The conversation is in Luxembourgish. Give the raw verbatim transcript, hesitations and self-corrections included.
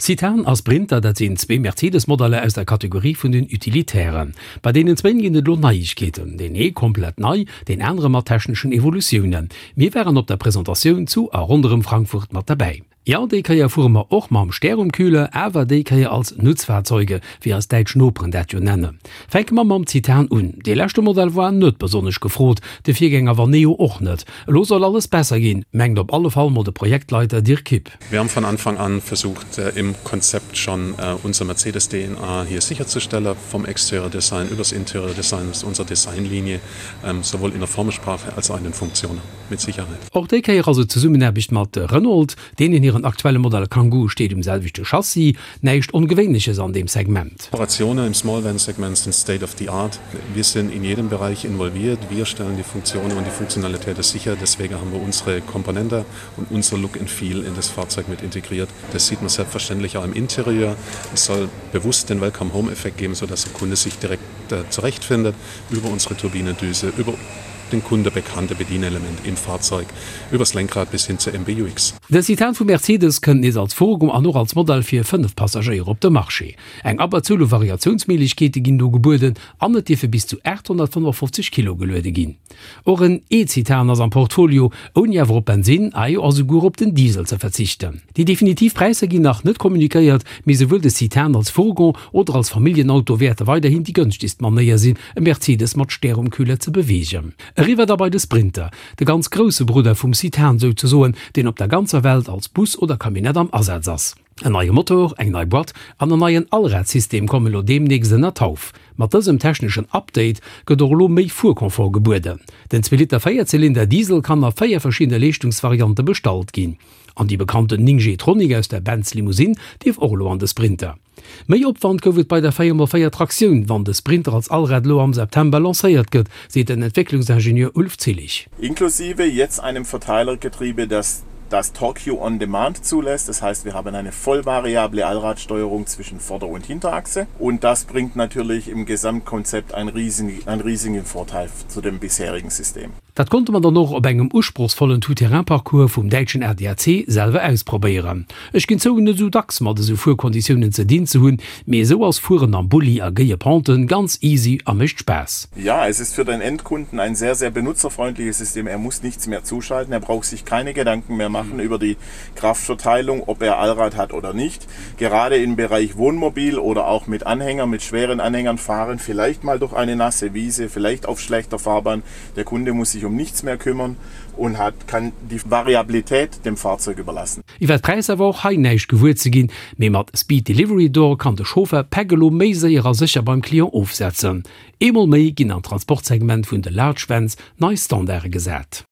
Citan a Sprinter, dat sinn zwee Mercedes-Modeller aus der Kategorie vun den Utilitären. Bei deenen zwéin ginn et elo Neiegkeeten, deen ee komplett nei, deen anere mat techneschen Evolutiounen. Mir waren op der Presentatioun zu a ronderëm Frankfurt mat derbäi. Jo, déi Kéier fuere mer och mam Stär um Kühler, awer déi Kéier als Nutzfahrzeuge, wéi eis däitsch Noperen dat jo nennen. Fänke mer mam Citan un. Dee leschte Modell war net besonnesch gefrot, de Virgänger Vaneo och net. Elo soll alles besser ginn, mengt op alle Fall mol de Projektleiter Dirk Kipp. Wir haben von Anfang an versucht, im Konzept schon unser Mercedes-D N A hier sicherzustellen, vom Exterior Design übers Interior Design, ist unsere Designlinie, sowohl in der Formensprache als auch in den Funktionen, mit Sicherheit. Och déi Kéier also Zesummenaarbecht mat Renault, deenen hiren aktuelle Modell Kangoo steet um selwechte Chassis, näischt Ongewéinleches an deem Segment. Operationen im Small Van Segment sind State of the Art. Wir sind in jedem Bereich involviert. Wir stellen die Funktionen und die Funktionalität sicher. Deswegen haben wir unsere Komponente und unser Look and Feel in das Fahrzeug mit integriert. Das sieht man selbstverständlich auch im Interieur. Es soll bewusst den Welcome Home Effekt geben, sodass der Kunde sich direkt äh, zurechtfindet über unsere Turbinendüse, über den Kunde bekannte Bedienelement im Fahrzeug, übers Lenkrad bis hin zur M B U X. De Citan vu Mercedes kënnt nees als Fourgon an och als Modell fir fënnef Passagéier op de Marché. Eng Abberzuel u Variatiounsméiglechkeete ginn do gebueden an et dierfe bis zu aathonnertfënnefofzeg Kilo geluede ginn. Och en E-Citan ass am Portfolio, ouni awer op Bensinn, ajo a souguer op den Diesel ze verzichten. Déi definitiv Präisser ginn nach net kommunikéiert, mee souwuel de Citan als Fourgon oder als Familljenauto wäerte weiderhin déi gënschtegst Manéier sinn, e Mercedes mat Stär um Kühler ze beweegen. Eriwwer da bei de Sprinter, de ganz grousse Brudder vum Citan souzesoen, deen op der ganzer Welt als Bus oder Camionnette am Asaz ass. En neie Motor, eng nei Boîte an en neien Allradsystem kommen elo deemnächst ënner d'Hauf. Mat dësem techneschen Update gëtt och elo méi Fuerconfort gebueden. Den zwee Liter Véierzylinder Diesel kann a véier verschiddene Leeschtungsvariante bestallt ginn. An déi bekannten néng G Tronic aus der Benz Limousine dierf och elo an de Sprinter. Méi Opwand gouf et bei der véier mol véier Traktioun, wann de Sprinter als Allrad elo am September lancéiert gëtt, seet den Entwécklungsingenieur Ulf Zillich. Inklusive jetzt einem Verteilergetriebe, das das Torque on Demand zulässt. Das heißt, wir haben eine vollvariable Allradsteuerung zwischen Vorder- und Hinterachse. Und das bringt natürlich im Gesamtkonzept einen riesigen, einen riesigen Vorteil zu dem bisherigen System. Dat konnte mer dann och op engem usprochsvollen Tout-Terrain-Parcours vum däitschen A D A C selwer ausprobéieren. Ech ginn zou, net esou dacks mat esou Fuerkonditiounen ze dinn ze hunn, mee esou ass Fueren am Bulli a géie Penten ganz easy a mécht Spaass. Ja, es ist für den Endkunden ein sehr, sehr benutzerfreundliches System. Er muss nichts mehr zuschalten, er braucht sich keine Gedanken mehr machen über die Kraftverteilung, ob er Allrad hat oder nicht. Gerade im Bereich Wohnmobil oder auch mit Anhänger, mit schweren Anhängern fahren, vielleicht mal durch eine nasse Wiese, vielleicht auf schlechter Fahrbahn. Der Kunde muss sich um nichts mehr kümmern und hat, kann die Variabilität dem Fahrzeug überlassen. Iwwer d'Präisser war och hei näischt gewuer ze ginn, mee mat Speed Delivery Door kann de Chauffer Päck elo méi séier a sécher beim Client ofsetzen. Eemol méi ginn am Transportsegment vun de Large Vans nei Standarde gesat.